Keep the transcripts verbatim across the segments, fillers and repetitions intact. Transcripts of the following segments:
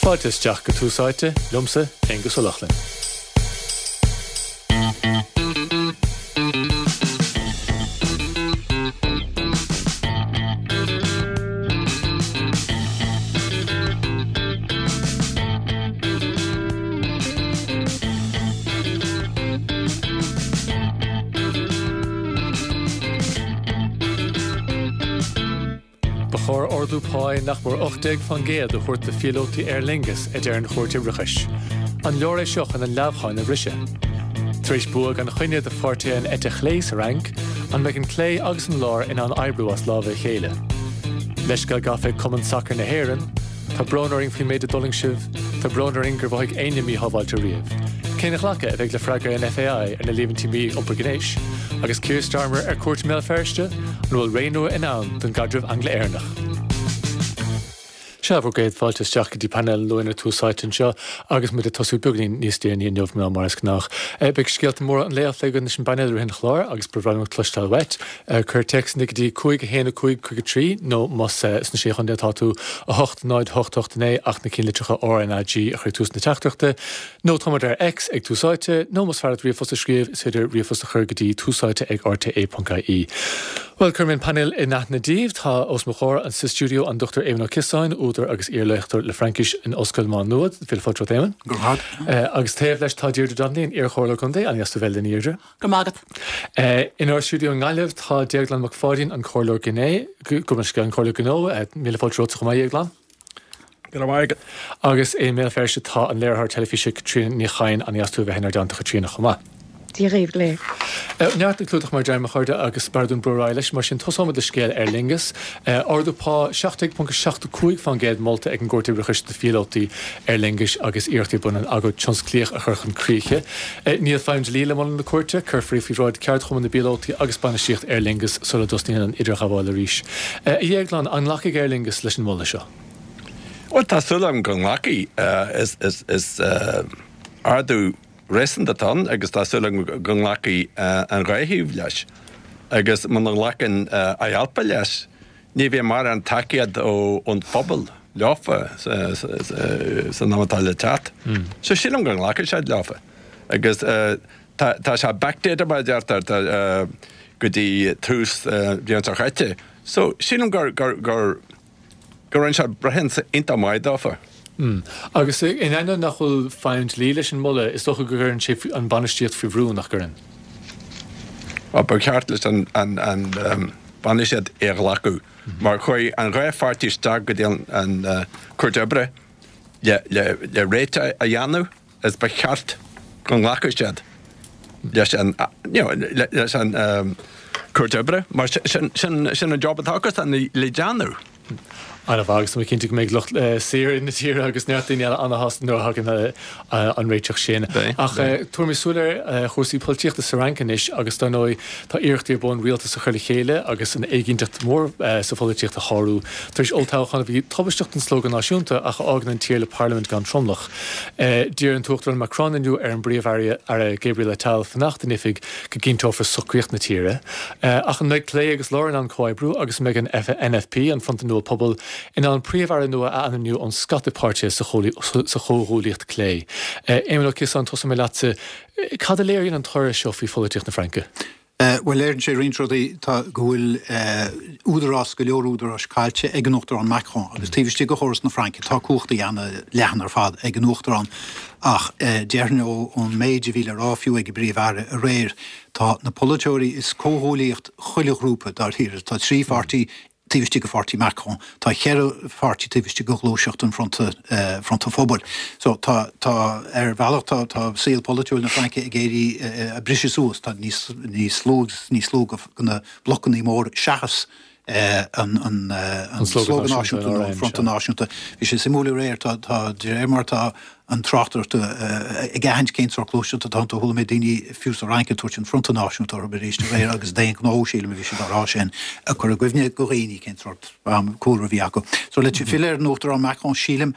Fáilte isteach go Tús Áite, liomsa, Aonghus Ó Lochlainn. Ba chóir ardú páí nach mór ocht déag faoin gcéad a thabhairt do phíolótaí Aer Lingus, a deir an Chúirt Oibreachais. An leor é seo chun an leamhcháin a bhriseadh? Tar éis bua gan choinne do pháirtithe an eite chlé sa Fhrainc, an mbeidh an clé agus an lár in ann oibriú as lámha a chéile? Leithscéal gafa ag Cumann Sacair na hÉireann, Tá brón orainn faoin méid a d'fhulaing sibh, tá brón orainn gur mhothaigh éinne míshábháilte riamh. Cén ghlacadh a bheidh le freagra an FAI ar na líomhaintí mí-iompar gnéis? Agus Keir Starmer ar cuairt i mBéal Feirste, an bhfuil ré nua i ndán don gcaidreamh Angla-Éireannach? Sea, bhur gcéad fáilte isteach go dtí painéal an Luain ar Tús Áite anseo agus muid ag tosú beagáinín níos déanaí inniu ná mar is gnách. Beidh scéalta móra an lae á phlé againn leis an bpainéal i rith an chláir agus ba bhreá liom cloisteáil uait. Cuir téacsanna go dtí cúig a haon a cúig cúig a trí nó más sna Sé Chontae atá tú, a hocht náid a hocht hocht a naoi ach na cinnlitreacha RnaG a chur ag tús na teachtaireachta. Nó tá muid ar X ag Tús Áite, nó más fearr leat ríomhphost a scríobh, is féidir ríomhphost a chur go dtí túsáite ag rte ponc ie. Bhuel, cuirfidh mé an painéal in aithne daoibh. Tá os mo chomhair sa stiúideo an Dochtúir Éamon Ó Ciosáin, údar agus iar-léachtóir le Fraincis in Ollscoil Mhá Nuad. Míle fáilte romhat, Éamon. Go raibh maith. Agus taobh leis tá Deirdre Donnelly, an iar-chomhairleoir contae. An-dheas tú bheith linn, a Dheirdre. Go raibh maith agat. Inár stiúideo i nGaillimh tá Déaglán Mac Pháidín, an Comhairleoir Gné, gabh mo leithscéal, an Comhairleoir Gnó. Míle fáilte romhatsa chomh maith, a Dhéagláin. Go raibh maith agat. Agus i mBéal Feirste tá an léiritheoir teilifíse Caitríona Ní Chadhain. An-dheas tú a bheith inár dteannta, a Chaitríona, chomh maith. Dia dhaoibh go léir. Neart le clúdach mar a deirim, a chairde, agus b'fhearr dúinn brú ar aghaidh leis. Mar sin, tosóimid le scéal Aer Lingus. Ardú pá seacht déag ponc seacht a cúig faoin gcéad molta ag an gCúirt Oibreachais do phíolótaí Aer Lingus agus iarrachtaí ar bun an agóid tionsclaíoch a chur chun críche. Níl feidhm dlí le moladh na cúirte. Cuirfear í faoi bhráid ceardchumann na bpíolótaí agus bainistíocht Aer Lingus sula dtosnaíonn an idirghabháil arís. A Dhéagláin, an nglacfaidh Aer Lingus leis an moladh seo? Bhuel, tá súil agam go nglacfaidh. Is ardú réasúnta atá ann agus tá súil agam go nglacfaidh an dhá thaobh leis. Agus muna nglacann IALPA leis, ní bheidh mórán tacaíocht ón phobal leofa san am atá le teacht. So sílim go nglacfaidh siad leofa. Agus tá sé backdated, mar a deirtear, go dtí tús bhliain seo chaite. So sílim gur gur go rinne sé breithiúnas iontach maith dófa. Agus in ainneoin nach bhfuil feidhm dlí leis an moladh, is dócha go gcuireann sé an bhainistíocht faoi bhrú, nach gcuireann? Bhuel, ba cheart leis an bhainistíocht é a ghlacadh, mar chuaigh an dhá pháirtí isteach go dtí an Chúirt Oibre le réiteach a dhéanamh is ba cheart go nglacfadh siad leis an, you know, leis an Chúirt Oibre, mar sin, sin an job atá acusan le déanamh. An-mhaith, agus tá mé cinnte go mbeidh lucht saothair na tíre agus neart daoine eile an-shásta nuair a thagann an réiteach sin. Ach tabharfaimid súil ar chúrsaí polaitíochta sa Fhrainc anois agus dar ndóigh tá iarrachtaí ar bun rialtas a chur le chéile agus an éiginnteacht mhór sa pholaitíocht a shárú tar éis olltoghchán a bhí tubaisteach don Slógadh Náisiúnta ach a fhágann an tír le parlaimint gan tromlach. D'iarr an tUachtarán Macron inniu ar an bPríomh-Aire Gabriel Attal fanacht in oifig go gcinnteofar socraíocht na tíre. Ach an mbeidh clé agus lár in ann comhoibriú agus an mbeidh an N F P, an Fronta Nua Pobail, in ann Príomh-Aire nua a ainmniú ón scata páirtithe sa chomhghuaillíocht clé? Éamon Ó Ciosáin, tosóidh mé leatsa. Cad a léiríonn an toradh seo faoi pholaitíocht na Fraince? Bhuel, léiríonn sé roinnt rudaí. Tá, go bhfuil údarás, go leor údaráis caillte ag an Uachtarán Macron agus taobh istigh de chóras na Fraince tá cumhachtaí an-leathan ar fad ag an Uachtarán ach déarfainn ón méid a bhí le rá fiú ag an bPríomh-Aire aréir, tá na polaiteoirí, is comhghuaillíocht chuile ghrúpa dáiríre, tá trí pháirtí taobh istigh de pháirtí Macron, tá ceithre pháirtí taobh istigh de ghluaiseacht an Fronta, Fronta Phobail. So tá, tá, ar bhealach tá, tá saol polaitiúil na Fraince ag éirí, ag briseadh suas, tá níos, níos lú agus níos lú de na blocannaí móra seachas an, an, an Slógadh Náisiúnta nó an Fronta Náisiúnta. Bhí sé suimiúil aréir, tá, tá, de réir mar atá an tráchtaireacht ag aithint cén sórt gluaiseacht atá iontu, chuala mé daoine fiú sa Fhrainc ag tabhairt an Fronta Náisiúnta orthu arís aréir agus d'aon ghnó, sílim, a bhí siad á rá sin, ag cur i gcuimhne do dhaoine cén sórt cúlra a bhí acu. So le filleadh ar an Uachtarán Macron, sílim,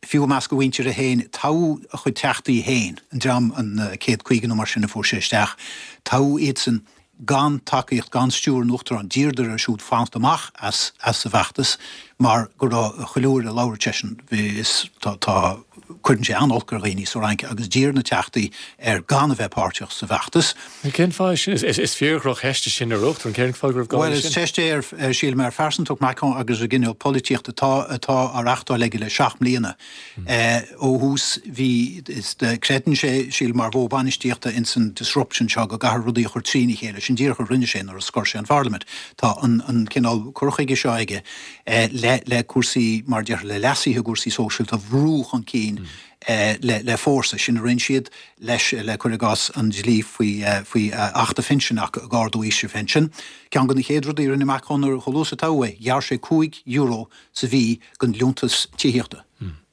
fiú i measc a mhuintire féin, toghadh a chuid teachtaí féin, an dream, an céad caoga nó mar sin a fuair sé isteach, toghadh iadsan, gan tacaíocht, gan stiúir an Uachtaráin, d'iarradar air siúd fanacht amach as as an bhfeachtas mar go raibh chuile uair a labhair seisean bhí is tá tá cuireann sé an-olc ar dhaoine sa Fhrainc agus d'iarr na teachtaí air gan a bheith páirteach sa bhfeachtas. Cén fáth sin? Is is fíor-dhrochcheist é sin ar Uachtarán, cén fáth go raibh gá Bhuel leis is sin? ceist é ar ar sílim ar phearsantacht Macron agus ar an gcineál polaitíochta atá atá á reachtáil aige le seacht mbliana. Ó thús bhí is creideann sé sílim mar mhodh bainistíochta ins an disruption seo go gcaithfear rudaí a chur trína chéile, sin díreach a rinne sé nuair a scor sé an Pharlaimint. Tá an an cineál cur chuige seo aige le le cúrsaí mar déarfá le leasuithe i gcúrsaí sóisialta a bhrú chun cinn le le fórsa. Sin a rinne siad leis le cur i gcás an dlí faoi faoi Acht an Phinsin ag ardú aois an phinsin. Ceann de na chéad rudaí a rinne Macron nuair chomh luath is a toghadh é, ghearr sé cúig euro sa mhí den liúntas tithíochta.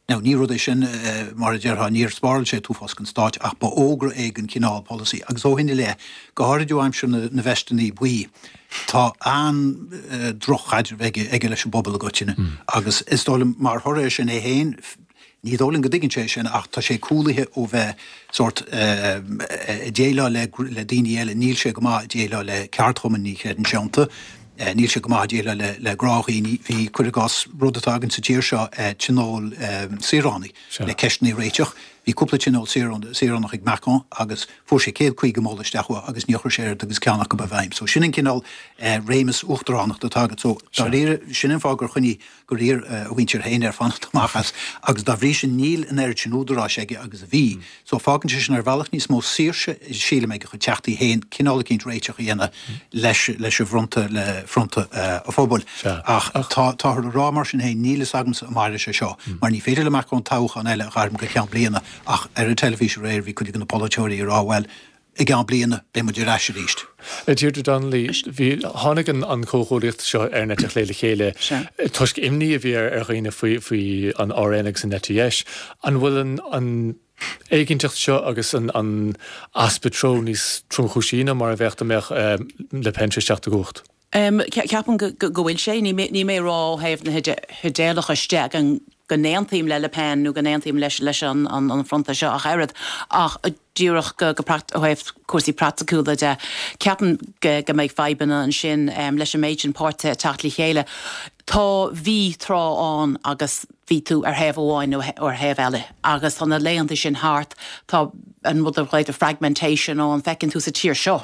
Now ní rud é sin mar a déarfá, níor spáráil sé an t-uafás don stáit ach ba fhógra é den chineál polasaí agus ó shin i leith, go háirid ó aimsir na na veisteanna buí, tá an-droch-chaidreamh aige aige leis an bpobal i gcoitinne agus is dóigh liom mar thoradh air sin é féin, ní dóigh liom go dtuigeann sé sin ach tá sé cúlaithe ó bheith sórt ag déileáil le le daoine eile, níl sé go maith ag déileáil le ceardchumainn, ní chreideann sé iontu. Níl sé go maith ag déileáil le le gnáthdhaoine. Bhí, cuir i gcás, rud atá againn sa tír seo, tionól saoránaigh le ceisteanna a réiteach. Bhí cúpla tionól saoránach ag Macron agus fuair sé céad caoga moladh isteach uathu agus níor chuir sé oiread agus ceann acu i bhfeidhm. So sin an cineál réimeas uachtaránachta atá agat. So dáiríre, sin an fáth gur choinnigh, gur iarr a mhuintir féin air fanacht amach as agus dá bhrí sin níl an oiread sin údaráis aige agus a bhí. So fágann sé sin ar bhealach níos mó saoirse, sílim, ag a chuid teachtaí féin cineál eicínt réiteach a dhéanamh leis leis an bhfronta, le fronta an phobail. Ach tá táthar a rá mar sin féin, níl fhios agamsa an mairfidh sé seo mar ní féidir le Macron toghchán eile a ghairm go ceann bliana ach ar an teilifís aréir bhí cuid de na polaiteoirí ag rá bhuel, i gceann bliana beidh muid ar ais arís. Deirdre Donnelly, bhí, tháinig an an comhghuaillíocht seo ar an eite chlé le chéile toisc imní a bhí ar ar dhaoine faoi faoi an R N agus an eite dheis. An bhfuil an an éiginnteacht seo agus an an easpa treo níos tromchúisí ná mar a bheadh dá mbeadh Le Pen tar éis teacht i gcumhacht? Ceapaim go bhfuil sé. Ní mé ag rá ó thaobh na hidéalachais de go n-aontaím le Le Pen nó go n-aontaím leis an fronta seo ach oiread, ach díreach go ó thaobh cúrsaí praiticiúla de, ceapaim go mbeidh fadhbanna ansin leis an méid sin páirtithe ag teacht le chéile. Tá, bhí tráth ann agus bhí tú ar thaobh amháin nó ar thaobh eile agus tá na laethanta sin thart, tá an rud a ghlaotar fragmentation ann, feiceann tú sa tír seo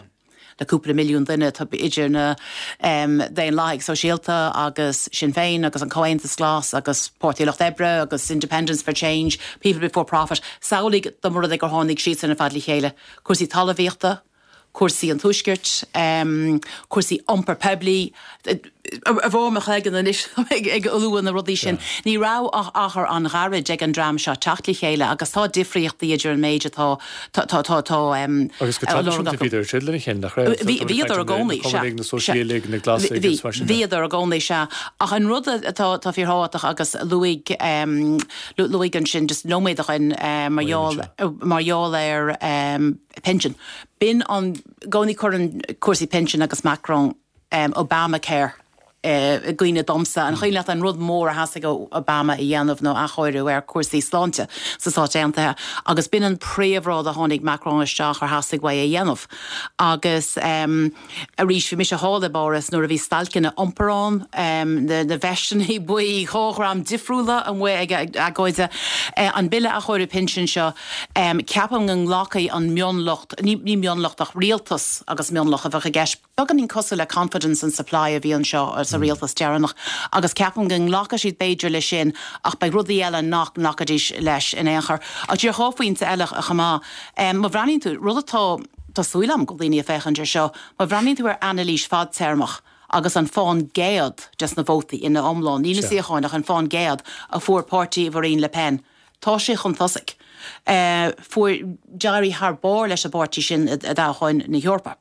le cúpla milliún duine, tá idir na Daonlathaigh Sóisialta agus Sinn Féin agus an Comhaontas Glas agus Páirtí an Lucht Oibre agus Independents for Change, People Before Profit, samhlaigh dá mba rud é gur tháinig siadsan ar fad le chéile, cúrsaí talmhaíochta, cúrsaí an Tuaiscirt, cúrsaí iompar poiblí, ar bharr mo chloigeann anois ag lua na rudaí sin. Ní raibh ach achar an-ghairid ag an dream seo teacht le chéile agus tá difríochtaí idir an méid atá tá tá tá tá Agus go traidisiúnta bhíodar ag troid lena chéile, nach raibh? Bhíodar i gcónaí, sea. Na Cumannaigh, na Sóisialaigh, na Glasaigh agus mar sin de. Bhíodar i gcónaí, sea. Ach an rud atá atá fíorthábhachtach agus luaigh luaigh ansin just nóiméad ó shin mar gheall mar gheall ar pinsean. B'in an i gcónaí cuireann cúrsaí pinsean agus Macron Obamacare i gcuimhne domsa. An cuimhin leat an rud mór a theastaigh ó Obama a dhéanamh ná athchóiriú ar chúrsaí sláinte sna Stáit Aontaithe agus b'in an príomhrud a tháinig Macron isteach ar theastaigh uaidh a dhéanamh. Agus arís bhí mise thall i bPáras nuair a bhí stailceanna iompair ann, na veisteanna buí, dhá dhream difriúla amuigh ag agóid. An bille athchóiriú pinsin seo, ceapaim go nglacfaidh an mionlach, ní mionlach ach rialtas agus mionlach a bheadh i gceist, Beagáinín cosúil le confidence and supply a bhí anseo sa rialtas deireanach agus ceapaim go nglacfaidh siad b'fhéidir leis sin ach beidh rudaí eile nach nglacfaidís leis in aon chor. Ach díreach dhá phointe eile chomh maith. Má bhreathnaíonn tú, rud atá, tá súil agam go bhfuil daoine ag féachaint air seo, má bhreathnaíonn tú ar anailís fadtéarmach agus an fán gcéad des na vótaí ina iomlán, ní na suíocháin ach an fán gcéad a fuair páirtí Mharine Le Pen, tá sé chun tosaigh. Fuair, d'éirigh thar barr leis an bpáirtí sin i dtoghcháin na hEorpa.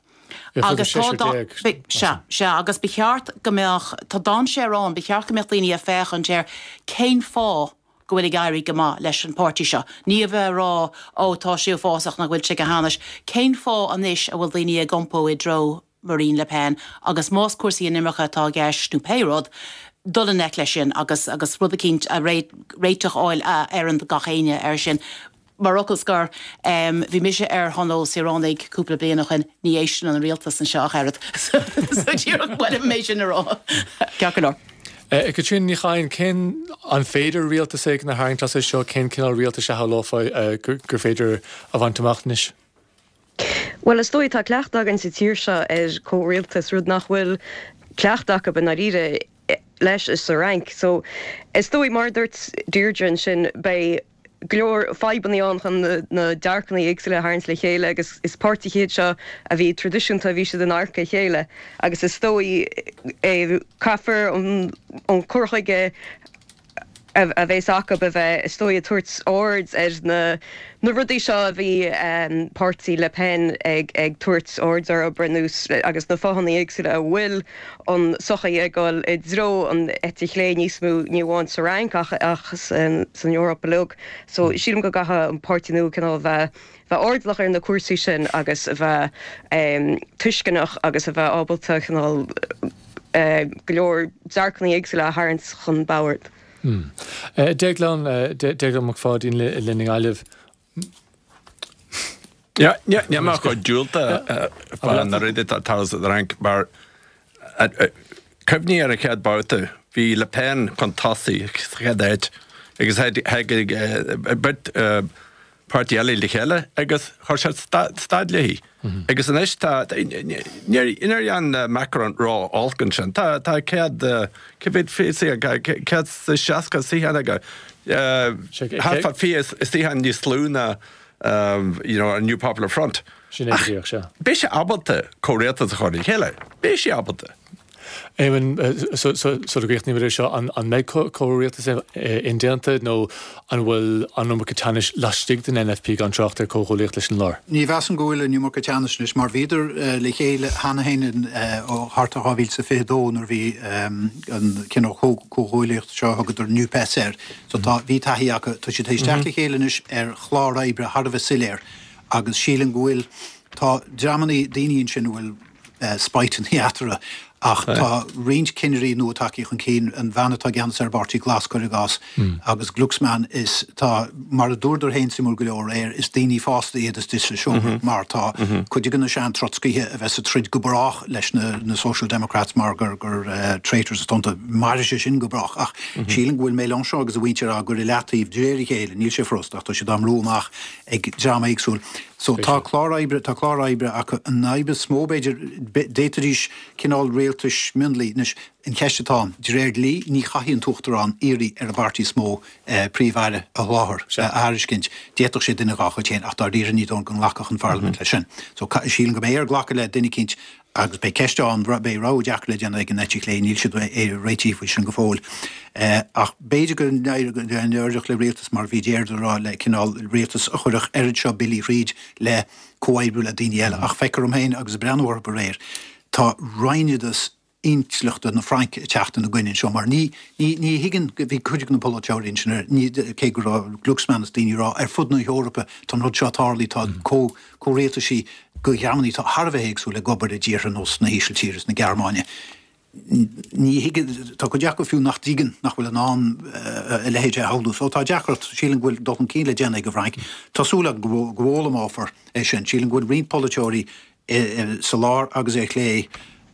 Agus tá sea, sea, agus ba cheart go mbeadh, tá dainséar ann, ba cheart go mbeadh daoine ag féachaint ar cén fáth go bhfuil ag éirí go maith leis an páirtí seo. Ní a bheith ag rá, ó tá sé uafásach nach bhfuil sé go hainnis. Cén fáth anois a bhfuil daoine ag iompó i dtreo Marine Le Pen agus más cúrsaí inimirce atá i gceist nó pé rud, dul i ngleic leis sin agus agus rud eicínt a réiteach a fháil a oireann do gach éinne air sin. Mar fhocal scoir, bhí mise ar thionól saoránaigh cúpla bliain ó shin, ní éisteann an rialtas anseo ach oiread. So díreach b'fhiú mé sin a rá. Ceart go leor. Caitríona Ní Chadhain, cén, an féidir rialtas éigin a tharraingt as é seo? Cén cineál rialtais a shamhlófá gur féidir a bhaint amach anois? Bhuel, is dóigh, tá cleachtadh againn sa tír seo ar chomhrialtas, rud nach bhfuil cleachtadh acu i ndáiríre leis sa Fhrainc. So, is dóigh, mar a dúirt Deirdre ansin, beidh go leor fadhbanna ann chun na dearcanna éagsúla a tharraingt le chéile agus is páirtithe iad seo a bhí traidisiúnta, bhí siad in adharca a chéile agus is dóigh caithfear an cur chuige a bheas acu a bheith, is dóigh, ag tabhairt aird ar na na rudaí seo a bhí páirtí Le Pen ag ag tabhairt aird orthu ar nós agus na fáthanna éagsúla a bhfuil an sochaí ag dul i dtreo an eite chlé níos mó, ní amháin sa Fhrainc ach ach san Eoraip uilig. So sílim go gcaithfidh an páirtí nua cineál a bheith bheith airdeallach ar na cúrsaí sin agus a bheith tuisceanach agus a bheith ábalta cineál go leor dearcanna éagsúla a tharraingt chun boird. Déaglán, Déaglán Mac Pháidín linn i nGaillimh. Níl mé chomh diúltach fá na rudaí atá ag tarlú sa Fhrainc mar cuimhnigh ar an chéad babhta, bhí Le Pen chun tosaigh sa chéad áit agus tháinig beirt páirtí eile le chéile agus chuir siad stad léi. Agus anois tá, níor dhein Macron ró-olc ansin, tá céad, cé mhéad céad is seasca suíochán aige, thart fá fiche suíochán níos lú ná you know an New Popular Front. Sin é go díreach, sea. Beidh sé ábalta comhrialtas a chur le chéile, beidh sé ábalta. Éamonn, sula gcríochnaímid é seo, an mbeidh comhrialtas indéanta nó an bhfuil an iomarca teannais laistigh den N F P gan trácht ar comhghuaillíocht leis an lár? Ní mheasaim go bhfuil an iomarca teannais anois mar bhíodar le chéile cheana féin ó thart ar dhá mhíle is a fiche dó nuair a bhí an cineál comhghuaillíocht seo a thugadar NUPES air. So tá, bhí taithí acu. Tá siad tar éis teacht le chéile anois ar chlár oibre thar a bheith soiléir agus sílim go bhfuil, tá dreamanna, daoine ansin a bhfuil spite eatarthu. Ach tá roinnt cinnirí nua tagtha chun cinn, an bhean atá i gceannas ar an bPáirtí Glas, cuir i gcás, agus Glucksmann, is tá, mar a dúradar féin suimiúil go leor aréir, is daoine fásta iad istigh sa seomra mar tá cuid de na sean-Trotscaithe a bheas ag troid go brách leis na Social Democrats mar gur gur traitors atá iontu. Mairfidh sé sin go brách. Ach sílim go bhfuil Mélenchon agus a mhuintir á gcur i leataobh de réir a chéile, níl sé furasta ach tá siad á mbrú amach ag dream éagsúil. So tá clár oibre, tá clár oibre acu. An fhadhb is mó, b'fhéidir, d'fhéadfaidís cineál rialtais mionlaigh. Anois, an cheist atá ann, de réir dlí, ní chaithfidh an tUachtarán iarraidh ar an bpáirtí is mó Príomh-Aire a sholáthar, a thairiscint. D'fhéadfadh sé duine dhá chuid féin, ach dáiríre ní dóigh liom go nglacfadh an Pharlaimint leis sin. So, sílim go mbeidh air glacadh le duine eicínt Agus beidh ceist ann, beidh rogha deacair le déanamh ag an eite chlé, níl siad réitithe faoi sin go fóill. Ach b'fhéidir go n-éireodh le rialtas, mar a bhí Deirdre a rá, le cineál rialtas a chuirfeadh oiread seo billí thríd le comhoibriú le daoine eile. Ach feictear dom féin, agus ag breathnú orthu aréir, tá roinnteadas intleachta na Fraince ag teacht ina gcoinne anseo mar ní, ní, ní thuigeann, bhí cuid de na polaiteoirí ansin ar, ní, cé go raibh Glucksmann is daoine ag rá ar fud na hEorpa tá an rud seo ag tarlú, tá comh, comhrialtaisí de dhreamannaí atá thar a bheith éagsúil ag obair i dtíortha ar nós na hÍsiltíre is na Gearmáine. Ní thuigeann, tá cuid acu fiú nach dtuigeann, nach bhfuil in ann a leithéid a shamhlú. So tá deacracht, sílim go bhfuil dul chun cinn le déanamh ag an bhFrainc. Tá súil agam go bhfoghlaimeofar é sin. Sílim go bhfuil roinnt polaiteoirí sa lár agus ar chlé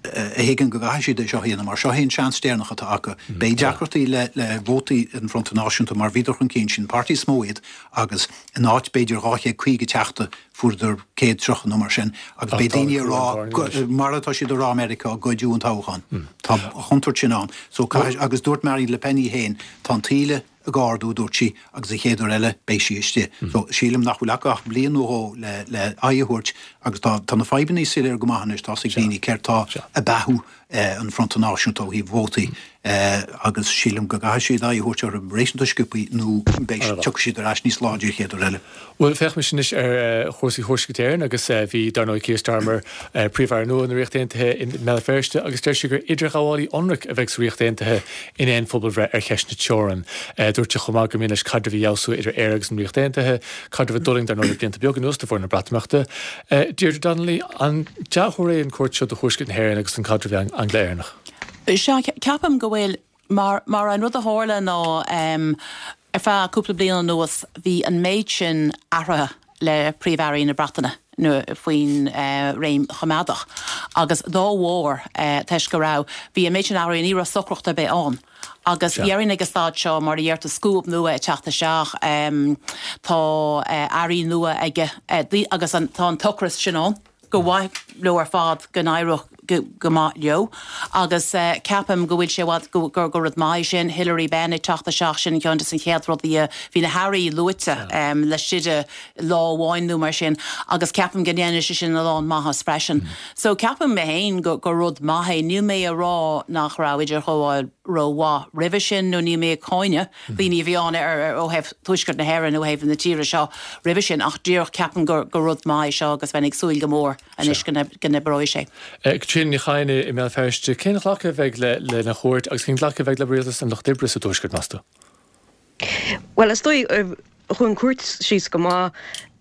a thuigeann go gcaithfidh siad é seo a dhéanamh mar seo é an seans deireanach atá acu. Beidh deacrachtaí le le vótaí an Fronta Náisiúnta mar bhíodar chun cinn, sin an páirtí is mó iad agus in áit b'fhéidir dhá chéad caoga teachta fuaireadar céad tríocha nó mar sin agus beidh daoine ag rá mar atá siad ag rá i Meiriceá goideadh an toghchán. Tá an chontúirt sin ann. So caithfidh agus dúirt Marine Le Pen í féin tá an taoille ag ardú, a dúirt sí, agus an chéad uair eile beidh sí istigh. So, sílim nach bhfuil acu ach bliain nó dhó le le aghaidh a thabhairt agus tá tá na fadhbanna soiléir go maith anois, tá's ag daoine céard tá ag beathú an Fronta Náisiúnta ó thaobh vótaí agus sílim go gcaithfidh siad aghaidh a thabhairt orthu réasúnta sciobthaí nó beidh tiocfaidh siad ar ais níos láidre an chéad uair eile. Bhuel, féachaimis anois ar chúrsaí Thuaisceart Éireann agus bhí, dar ndóigh, Keir Starmer, Príomh-Aire nua na Ríochta Aontaithe i mBéal Feirste agus deir sé gur idirghabhálaí ionraic a bheidh sa Ríocht Aontaithe in aon phobalbhreith ar cheist na teorann. Dúirt sé chomh maith gur mian leis caidreamh a fheabhsú idir Éire agus an Ríocht Aontaithe, caidreamh a d'fhulaing, dar ndóigh, le blianta beaga anuas de bharr na Breatimeachta. Deirdre Donnelly, an dea-thuar é an cuairt seo do Thuaisceart na hÉireann agus don chaidreamh Angla-Éireannach? Sea, ceapaim go bhfuil. Mar, mar an rud a tharla ná, Ar feadh cúpla bliain anuas bhí an méid sin athraithe le Príomh-Airí na Breataine nó faoin réim Choimeádach agus dá bharr toisc go raibh, bhí an méid sin athraithe ní raibh socracht ar bith ann. Agus déarfainn ag an staid seo mar a deir tú scuab nua ag teacht isteach, tá airí nua aige agus tá an t-ocras sin ann. gur mhaith leo ar fad go n-éireodh go maith leo agus ceapaim go bhfuil sé i bhfad gur gur rud maith é sin. Hilary Benn ag teacht isteach, sin ceann de na chéad rudaí a bhí na hairí luaite laistigh de lá amháin nó mar sin agus ceapaim go ndéanfaidh sé sin a lán maitheas freisin. So ceapaim mé féin gur gur rud maith é. Níl mé a rá nach raibh idirghabháil rómhaith roimhe sin nó níl mé ag cáineadh daoine a bhí ann ar ó thaobh Tuaisceart na hÉireann ó thaobh na tíre seo roimhe sin ach díreach ceapaim gur gur rud maith é seo agus bheinn ag súil go mór anois go n-oibreoidh sé. Caitríona Ní Chadhain i mBéal Feirste, cén ghlacadh a bheidh lena chuairt agus cén ghlacadh a bheidh le rialtas an Lucht Oibre sa Tuaisceart, meas tú? Bhuel, is dóigh, chuaigh an cuairt síos go maith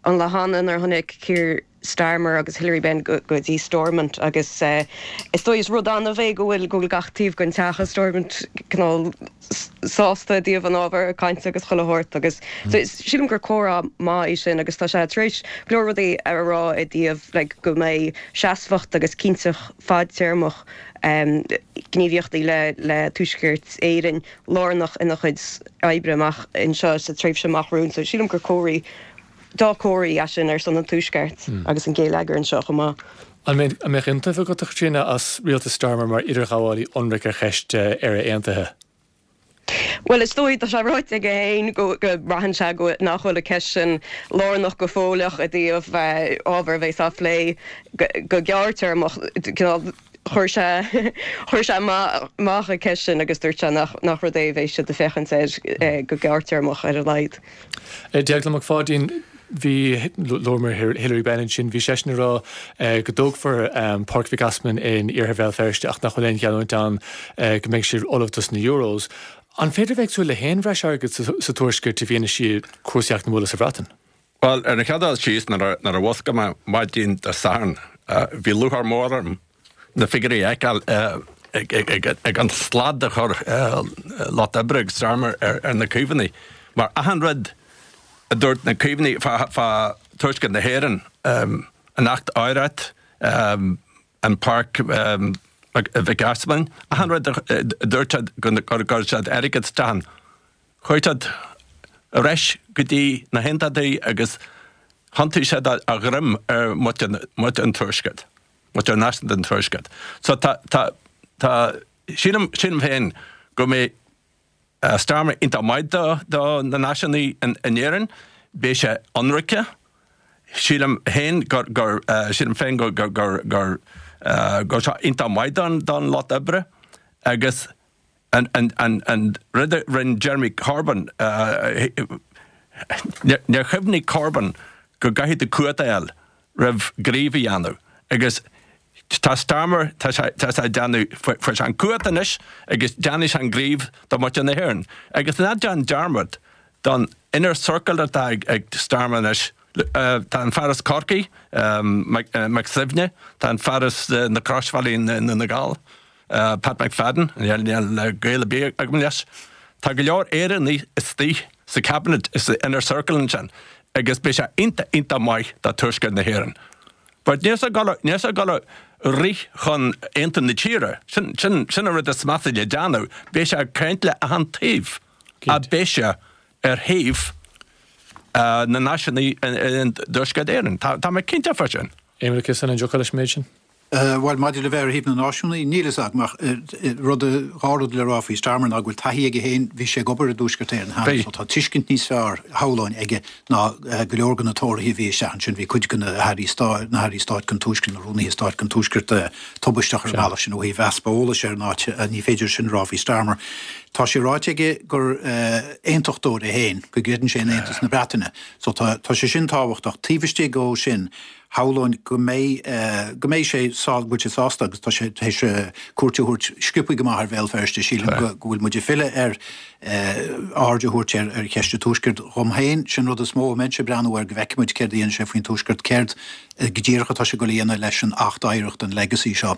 an lá cheana nuair a tháinig Keir Starmer agus Hilary Benn go dtí Stormont agus is dóigh is rud annamh é go bhfuil go bhfuil gach taobh den teach i Stormont cineál sásta i dtaobh an ábhair cainte agus chuile shórt agus so sílim gur comhrá maith é sin agus tá sé tar éis go leor rudaí a rá i dtaobh like go mbeidh seasmhacht agus cinnteacht fadtéarmach gníomhaíochtaí le le Tuaisceart Éireann lárnach ina chuid oibre amach anseo sa tréimhse amach romhainn so sílim gur comhartha dea-chomhartha é sin ar son an Tuaiscirt agus an geilleagar anseo chomh maith. An mbeadh iontaoibh agat, a Chaitríona, as rialtas Starmer mar idirghabhálaí ionraic ar cheist Éire Aontaithe? Bhuel, is dóigh, tá sé ráite aige féin go mbraitheann sé go nach bhfuil an cheist sin lárnach go fóilleach i dtaobh ábhar a bheas á phlé go gearrtéarmach. Cineál chuir sé chuir sé amach an cheist sin agus dúirt sé nach nach rud é a bheidh siad ag féachaint air go gearrtéarmach ar a laghad. Deaglán Mac Pháidín, Bhí, luamar Hilary Benn ansin, bhí seisean ag rá go dtógfar Páirc Mhic Easmainn in iarthar Bhéal Feirste ach nach bhfuil aon gheallúint ann go mbeidh siad ullamh dos na Euros. An féidir a bheith ag súil le haon bhreis airgid sa Tuaisceart i bhfianaise cúrsaí eacnamúla sa Bhreatain? Bhuel, ar an chéad dul síos, nuair a mhuscail mé maidin Dé Sathairn, bhí lúcháir mhór orm na figiúirí a fheiceáil ag an slad a chuir Lucht Oibre agus Starmer ar na Caomhnaigh, mar achan rud a dúirt na Caomhnaigh fá Tuaisceart na hÉireann, an Acht Oidhreacht, an Páirc Mhic Easmainn, achan rud a dúirt siad gur chuir siad airgead isteach ann, chuaigh siad ar ais go dtí na hAontachtaithe agus thiontaigh siad a dhroim ar mhuintir an Tuaiscirt, muintir náisiúnta an Tuaiscirt. So tá, tá, tá, sílim, sílim féin go mbeidh Starmer iontach maith do, do na náisiúnaigh in, in Éirinn, beidh sé ionraice, sílim féin gur, gur, sílim féin gur, gur, gur, gur, go raibh sé iontach maith don, don Lucht Oibre agus an, an, an, an rud a rinne Jeremy Corbyn, níor chuimhnigh Corbyn go gcaithfidh tú cumhacht a fháil roimh ghníomh a dhéanamh agus tá Starmer, tá sé, tá sé ag déanamh, fuair sé an cumhacht anois agus déanfaidh sé an gníomh do mhuintir na hÉireann. Agus ná déan dearmad don inner circle atá ag, ag Starmer anois, tá an fear as Corcaigh, Mac Suibhne, tá an fear as na Croisbhealaí i nDún na nGall, Pat McFadden, níl gaol ar bith agam leis. Tá go leor Éireannaigh istigh sa Cabinet, sa inner circle ansin agus beidh sé iontach, iontach maith do Tuaisceart na hÉireann. But níl sé ag níl sé ag dul ag rith chun aontú na tíre. Sin, sin, sin an rud is measa le déanamh. Beidh sé ag caint le achan taobh. Ach beidh sé ar thaobh na náisiúnaigh i dTuaisceart Éireann. Tá, tá mé cinnte fá sin. Éamon Ó Ciosáin, an dtiocfá leis an méid sin? Bhuel, maidir le bheith ar thaobh na náisiúnaí, níl fhios agam ach rud, dhá rud le rá faoi Starmer ná go bhfuil taithí aige féin, bhí sé ag obair i dTuaisceart Éireann cheana so tá tuiscint níos fearr, shamhlóinn, aige ná go leor de na Tóraithe a bhí isteach ansin. Bhí cuid de na hairí stáit, na hairí stáit den Tuaisceart, na rúnaithe stáit den Tuaisceart tubaisteach ar an mbealach sin ó thaobh easpa eolais ar an áit, ní féidir sin a rá faoi Starmer. Tá sé ráite aige gur aontachtóir é féin, go gcreideann sé in aontas na Breataine so tá sé sin tábhachtach. Taobh istigh dhó sin, Shamhlóinn go mbeidh, go mbeidh sé sá, go bhfuil sé sásta agus tá sé tar éis cuairt a thabhairt sciobtha go maith ar Bhéal Feirste. Sílim go, go bhfuil muid ag filleadh ar aird a thabhairt ar ar cheist an Tuaiscirt. Dhom féin, sin rud is mó a mbeinnse ag breathnú air, go bhfeicfidh muid céard a dhéanfaidh sé faoin Tuaisceart, céard go díreach atá sé ag dul a dhéanamh leis an Acht Oidhreachta, an Legacy seo,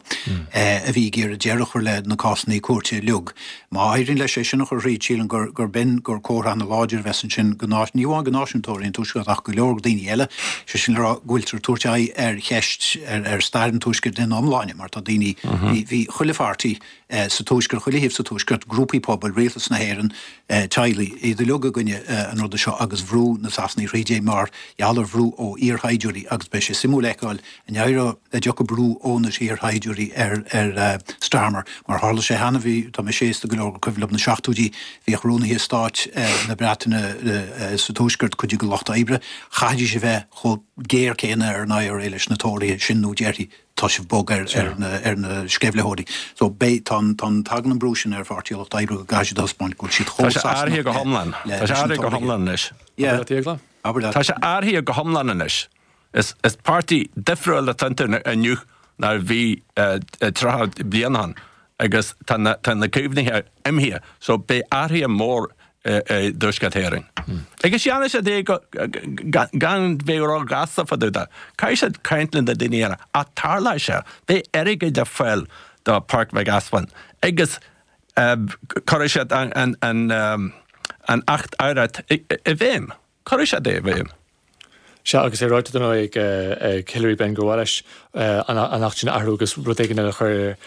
a bhí ag iarraidh deireadh a chur le na cásanna cúirte uilig. Má éiríonn leis é sin a chur thríd, sílim gur gur b'in gur comhartha ana-láidir a bheas ansin go ní amháin go náisiúntóirí an Tuaiscirt ach go leor daoine eile, sé sin le rá go bhfuiltear ag tabhairt aghaidh ar cheist ar ar stair an Tuaiscirt ina iomláine mar tá daoine, bhí bhí chuile pháirtí sa Tuaisceart, chuile thaobh sa Tuaisceart, grúpaí pobail, rialtas na hÉireann, teaghlaigh, iad uilig i gcoinne an ruda seo agus bhrú na Sasanaigh thríd é mar gheall ar bhrú ó iarshaighdiúirí agus beidh sé suimiúil a fheiceáil an éireoidh, an dtiocfaidh brú ó na hiarshaighdiúirí ar ar Starmer mar tharla sé cheana, bhí, tá mise aosta go leor gur cuimhin liom na seachtóidí, bhíodh rúnaithe stáit na Breataine sa Tuaisceart, cuid de lucht oibre, chaithfidís a bheith chomh géar céanna ar an I R A leis na Tóraithe, sin nó déarfaí tá sibh bog ar ar na ar na sceimhlitheoirí. So beidh, tá an, tá an, tagann an brú sin ar Pháirtí an Lucht Oibre go gcaithfidh siad a thaispeáint go bhfuil siad chomh Tá sé athraithe go hiomlán. Tá sé athraithe go hiomlán anois. Yeah. Abair leat. Tá sé athraithe go hiomlán anois. Is, is páirtí difriúil atá iontu inniu ná a bhí tríocha bliain ó shin agus tá na, tá na Caomhnaithe imithe so beidh athruithe mór i dTuaisceart Éireann. Agus déanfaidh siad é gan bheith ró-ghasta fá dtaobh de. Caithfidh siad caint le na daoine eile ach tarlóidh sé, beidh airgead ar fáil do Páirc Mhic Easmainn agus cuirfidh siad an Acht Oidhreacht i bhfeidhm. Cuirfidh siad é i bhfeidhm. Sea, agus é ráite dar ndóigh ag Hilary Benn gur mhaith leis an Acht sin a athrú agus rud éigin eile a chur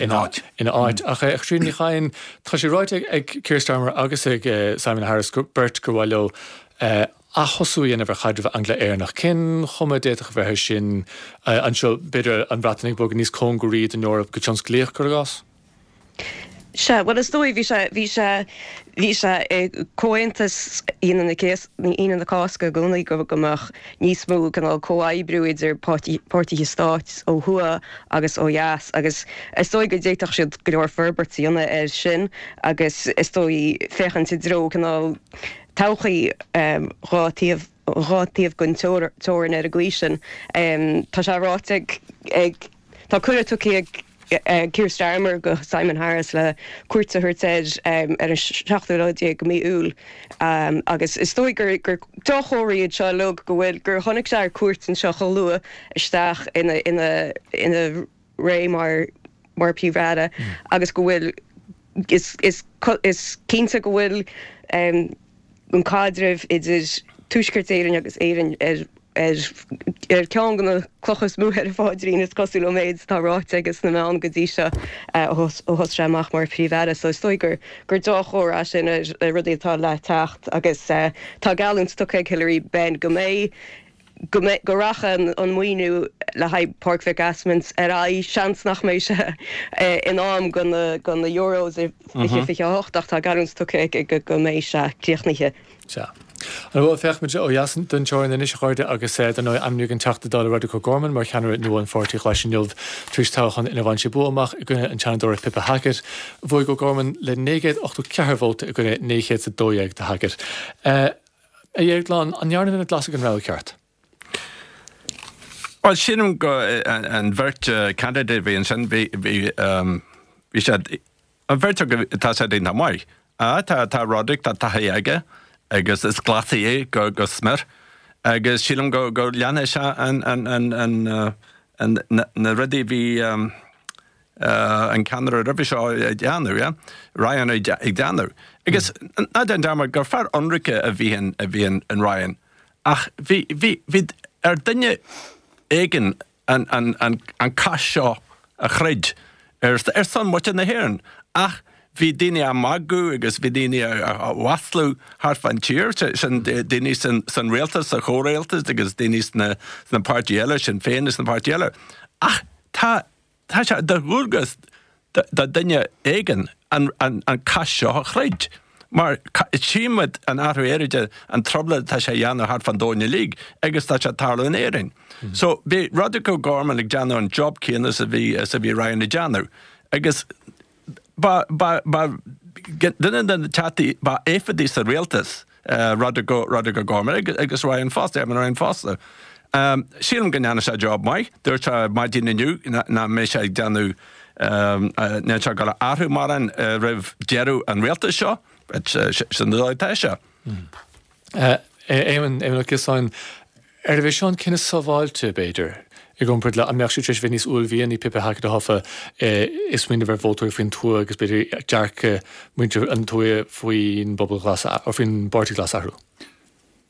ina áit. Ach a Chaitríona Ní Chadhain, tá sé ráite ag Keir Starmer agus ag Simon Harris beirt gur mhaith leo aththosú a dhéanamh ar chaidreamh Angla-Éireannach. Cén chuma a d'fhéadfadh a bheith air sin anseo, b'fhéidir an Bhreatain ag bogadh níos cóngaraí don Eoraip go tionsclaíoch, cuir i gcás? Sea, bhuel is dóigh, bhí sé, bhí sé, bhí sé i gComhaontas Aoine na Aoine na Cásca i gcónaí go go mbeadh níos mó cineál comhoibriú idir páirtithe stáit ó thuaidh agus ó dheas agus is dóigh go d'fhéadfadh siad go leor forbairt a dhéanamh air sin agus is dóigh féachaint i dtreo cineál todhchaí dhá taobh dhá taobh den teorainn ar an gcaoi sin. Tá sé ráite ag ag tá cuireadh tugtha ag Keir Starmer go Simon Harris le cuairt a thabhairt air ar an seachtú lá déag de mhí Iúil agus is dóigh gur gur dea-chomhartha iad seo uilig go bhfuil gur tháinig sé ar cuairt anseo chomh luath isteach ina ina ina ré mar mar Phríomh-Aire agus go bhfuil is is is cinnte go bhfuil an caidreamh idir Tuaisceart Éireann agus Éirinn ar ar ar ceann de na clocha is mó ar a phaidrín, is cosúil ón méid atá ráite aige sna meáin go dtí seo ó thosaigh sé amach mar Phríomh-Aire. So is dóigh gur gur dea-chomhartha é sin ar ar rudaí atá le teacht agus tá geallúint tugtha ag Hilary Benn go mbeidh go mbeidh go rachaidh an maoiniú le haghaidh Páirc Mhic Easmainn ar aghaidh. Seans nach mbeidh sé in am do na do na Euros i fiche fiche a hocht ach tá geallúint tugtha aici go mbeidh sé críochnaithe. Sea. Bhuel, féachfaimid ó dheas den teorainn anois, a chairde, agus dar ndóigh ainmníodh an Teachta Dála Roderic O'Gorman mar cheannaire nua an Pháirtí Ghlais inniu tar éis toghchán inar bhain sé bua amach i gcoinne an tSeanadóra Pippa Hackett. Bhuaigh O'Gorman le naoi gcéad ochtó ceathair vóta i gcoinne naoi chéad is a dó dhéag do Hackett. A Dhéagláin, an ndearna na Glasaigh an rogha ceart? Bhuel, sílim go an bheirt candidate a bhí ansin, bhí bhí bhí siad an bheirt acu tá siad iontach maith. Tá tá Roderic, tá taithí aige agus is Glasaí é go go smior agus sílim go go leanfaidh sé an an an an an na na rudaí a bhí an ceannaire roimhe seo ag déanamh, yeah? Ryan ag déanamh. Agus ná déan dearmad gur fear ionraice a bhí in a bhí in in Ryan ach bhí bhí bhí ar duine éigin an an an an cath seo a throid ar ar son muintir na hÉireann ach bhí daoine á magadh agus bhí daoine á mhaslú thart fán tír, sin daoine san san rialtas, sa chomhrialtas agus daoine sna sna páirtí eile, Sinn Féin agus na páirtí eile. Ach tá tá sé de dhualgas do duine éigin an an an cath seo a throid. Mar tchímid an athrú aeráide, an trioblóid atá sé a dhéanamh thart fán domhan uilig agus tá sé ag tarlú in Éirinn. So bhí Roderic O'Gorman ag déanamh an job céanna is a bhí is a bhí Ryan ag déanamh agus ba ba ba duine de na teachtaí ba éifeachtaí sa rialtas Roderic Roderic O'Gorman agus Ryan fosta, Eamon Ryan fosta. Sílim go ndearna sé job maith. Dúirt sé maidin inniu nach mbeidh sé ag déanamh níl sé ag dul a athrú mórán roimh deireadh an rialtais seo. Sin an dóigh atá sé. Éamon, Éamon Ó Ciosáin, arbh é seo an cinneadh sábháilte, b'fhéidir, i gcomparáid le an mbeadh sé tar éis bheith níos uaillmhianaí Pippa Hackett a thoghadh ag smaoineamh ar vótóirí faoin tuath agus b'fhéidir dearcadh muintir an tuaithe faoin bpobal ghlas nó faoin bPáirtí Glas a athrú?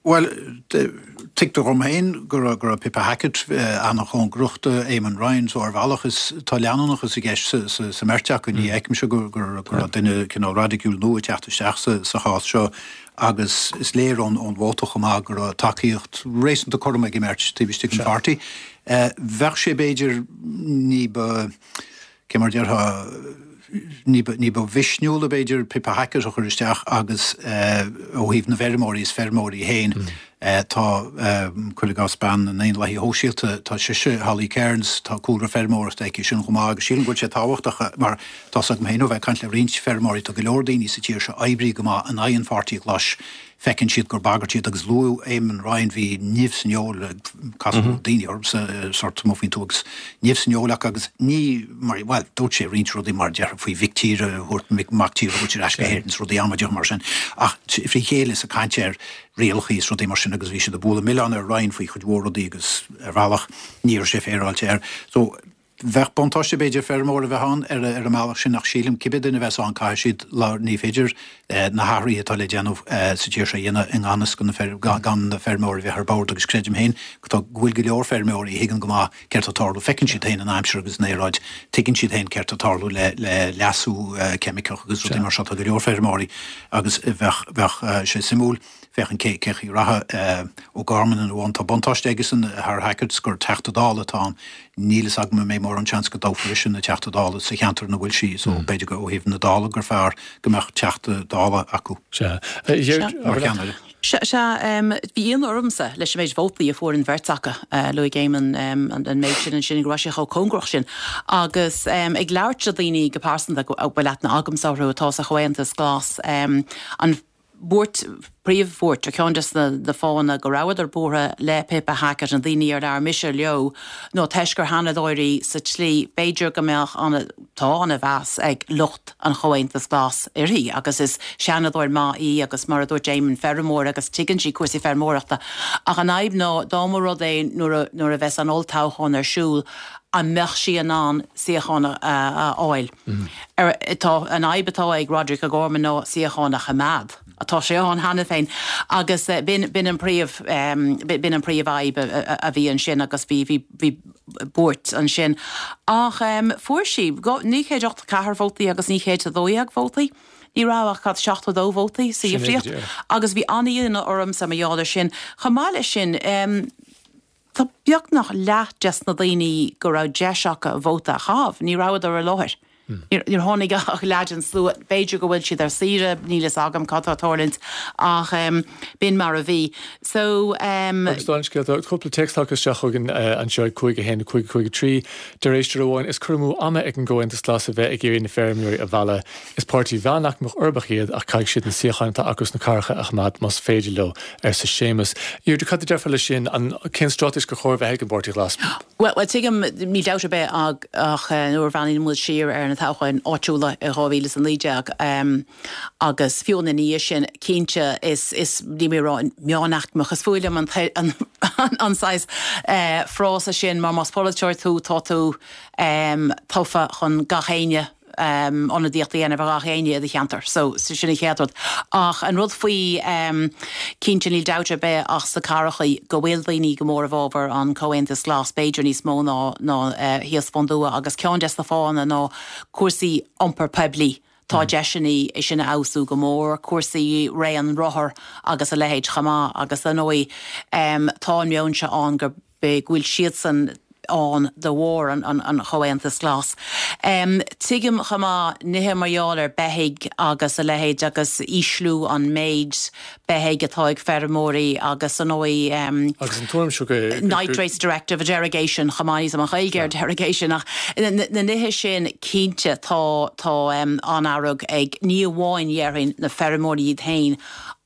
Bhuel, tuigtear dom féin go raibh go raibh Pippa Hackett an-chóngarach do Éamon Ryan so ar bhealach is tá leanúnachas i gceist sa sa mbeirt acu. Ní fheicimse go go go raibh duine cineál raidiciúil nua ag teacht isteach sa sa chás seo agus is léir ón ón vóta chomh maith go raibh tacaíocht réasúnta cothrom ag an mbeirt taobh istigh den pháirtí. Bheadh sé b'fhéidir ní ba, cé mar déarfá, ní ba, ní ba mhisniúla b'fhéidir Pippa Hackett a chur isteach agus ó thaobh na bhfeirmeoirí, is feirmeoirí féin, tá, cuir i gcás bean na nDaonlathaithe Shóisialta, tá sise, Holly Cairns, tá cúlra feirmeoireachta aici sin chomh maith agus sílim go bhfuil sé tábhachtach mar tá's agam féin ó bheith ag caint le roinnt feirmeoirí, tá go leor daoine sa tír seo a oibrigh go maith in aghaidh an Pháirtí Ghlais, Feiceann siad gur bagairt iad agus luadh Éamon Ryan, bhí nimh san fheoil, casadh daoine ormsa sórt amuigh faoin tuath agus nimh san fheoil acu agus ní mar, bhuel, dúirt sé roinnt rudaí mar déarfá faoi mhic tíre a thabhairt, mac tíre a thabhairt ar ais go hÉirinn is rudaí amaideacha mar sin ach frí chéile is ag caint ar rialacha is rudaí mar sin agus bhí siad ag bualadh milleáin ar Ryan faoi chuid mhór rudaí agus ar bhealach ní raibh sé féaráilte air. So, Bheadh buntáiste b'fhéidir feirmeoir a bheith ann ar an mbealach sin ach sílim cibé duine a bheas ann caithfidh siad ní féidir na hathruithe atá le déanamh sa tír seo a dhéanamh i ngan fhios do na gan na feirmeoirí a bheith ar bord agus creidim féin go bhfuil go leor feirmeoirí a thuigeann go maith céard atá ag tarlú, feiceann siad féin an aimsir agus an aeráid, tuigeann siad féin céard atá ag tarlú le le leasú ceimiceach agus rudaí mar seo, tá go leor feirmeoirí agus bheadh bheadh sé suimiúil féachaint cé cén chaoi a rachadh O'Gorman ina bhun. Tá buntáiste aigesan thar Hackett gur Teachta Dála atá ann. Níl fhios agam an mbeidh mórán seans go dtoghfar ise ina Teachta Dála sa cheantar ina bhfuil sí so b'fhéidir go ó thaobh na Dála gur fearr go mbeadh Teachta Dála acu. Sea. Mar cheannaire. Sea, sea. Bhí ionadh ormsa leis an méid vótaí a fuair an bheirt acu. Luaigh Éamon an méid sin ansin, go raibh sé chomh cóngarach sin. Agus ag labhairt le daoine go pearsanta a bhfuil aithne agamsa orthu atá sa Chomhaontas Glas, an bhuairt, príomhbhuairt, ar cheann des na fáthanna go rabhadar buartha le Pippa Hackett, na daoine ar labhair mise leo, ná toisc gur Sheanadóir í sa tslí, b'fhéidir go mbeadh ana, tá ana-mheas ag lucht an Chomhaontais Ghlais uirthi agus is Seanadóir maith í agus mar a dúirt Éamon, feirmeoir agus tuigeann sí cúrsaí feirmeoireachta. Ach an fhadhb ná dá mba rud é nuair a, nuair a bheas an olltoghchán ar siúl, an mbeadh sí in ann suíochán a fháil? Tá an fhadhb atá ag Roderic O'Gorman ná suíochán a choimeád. Tá sé ann cheana féin agus b'in b'in an príomh b'in an príomhfhadhb a bhí ansin agus bhí bhí bhí buairt ansin. Ach fuair sí naoi chéad ochtó ceathair vótaí agus naoi chéad a dó dhéag vótaí. Ní raibh ach cad seachtó dó vótaí sa dhifríocht agus bhí an-ionadh ormsa mar gheall air sin. Chomh maith leis sin, Tá beagnach leath des na daoine go raibh deis acu vóta a chaitheamh, ní rabhadar i láthair. Níor tháinig ach leath den slua. B'fhéidir go bhfuil siad ar saoire, níl fhios agam cad tá ag tarlúint ach b'in mar a bhí. So. Agus dála an scéil, tá cúpla téacs tagtha isteach chugainn anseo ag cúig a haon, a cúig, cúig a trí. Deir éisteoir amháin, Is cur amú ama ag an gComhaontas Glas a bheith ag iarraidh na feirmeoirí a mhealladh. Is páirtí mheánaicmeach uirbeach iad ach caithfidh siad na suíocháin atá acu sna cathracha a choimeád más féidir leo, arsa Séamus. Deirdre, cad a déarfá leis sin? An, cén straitéis gur chóir a bheith ag an bPáirtí Glas? Bhuel, tuigim, níl dabht ar bith ach nuair a bhreathnaíonn muid siar ar na toghcháin áitiúla i dhá mhíle is a naoi déag agus fiú ina dhiaidh sin, cinnte, is, is, níl mé ag rá meánaicmeach, is fuath liom an, an saghas frása sin mar más polaiteoir tú, tá tú tofa chun gach éinne, ionadaíocht a dhéanamh ar gach éinne i do cheantar. So, sin an chéad rud. Ach an rud faoi, cinnte níl dabht ar bith ach sna cathrachaí go bhfuil daoine go mór i bhfabhar an Comhaontas Glas, b'fhéidir níos mó ná ná thíos fán dtuath agus ceann des na fáthanna ná cúrsaí iompar poiblí. Tá deiseanna é sin a fheabhsú go mór, cúrsaí raon rothar agus a leithéid chomh maith agus dar ndóigh tá an meon seo ann gur go bhfuil siadsan ann de bharr an Chomhaontais Ghlais. Tuigim chomh maith nithe mar gheall ar beithígh agus a leithéid agus ísliú an méid beithígh atá ag feirmeoirí agus ar ndóigh Agus an tuairim seo go. Nitrates Directive, derogation chomh maith, níl 's agam an Ghaeilge ar derogation ach na nithe sin cinnte tá tá an-fhearg ag ní amháin dhéarfainn na feirmeoirí iad féin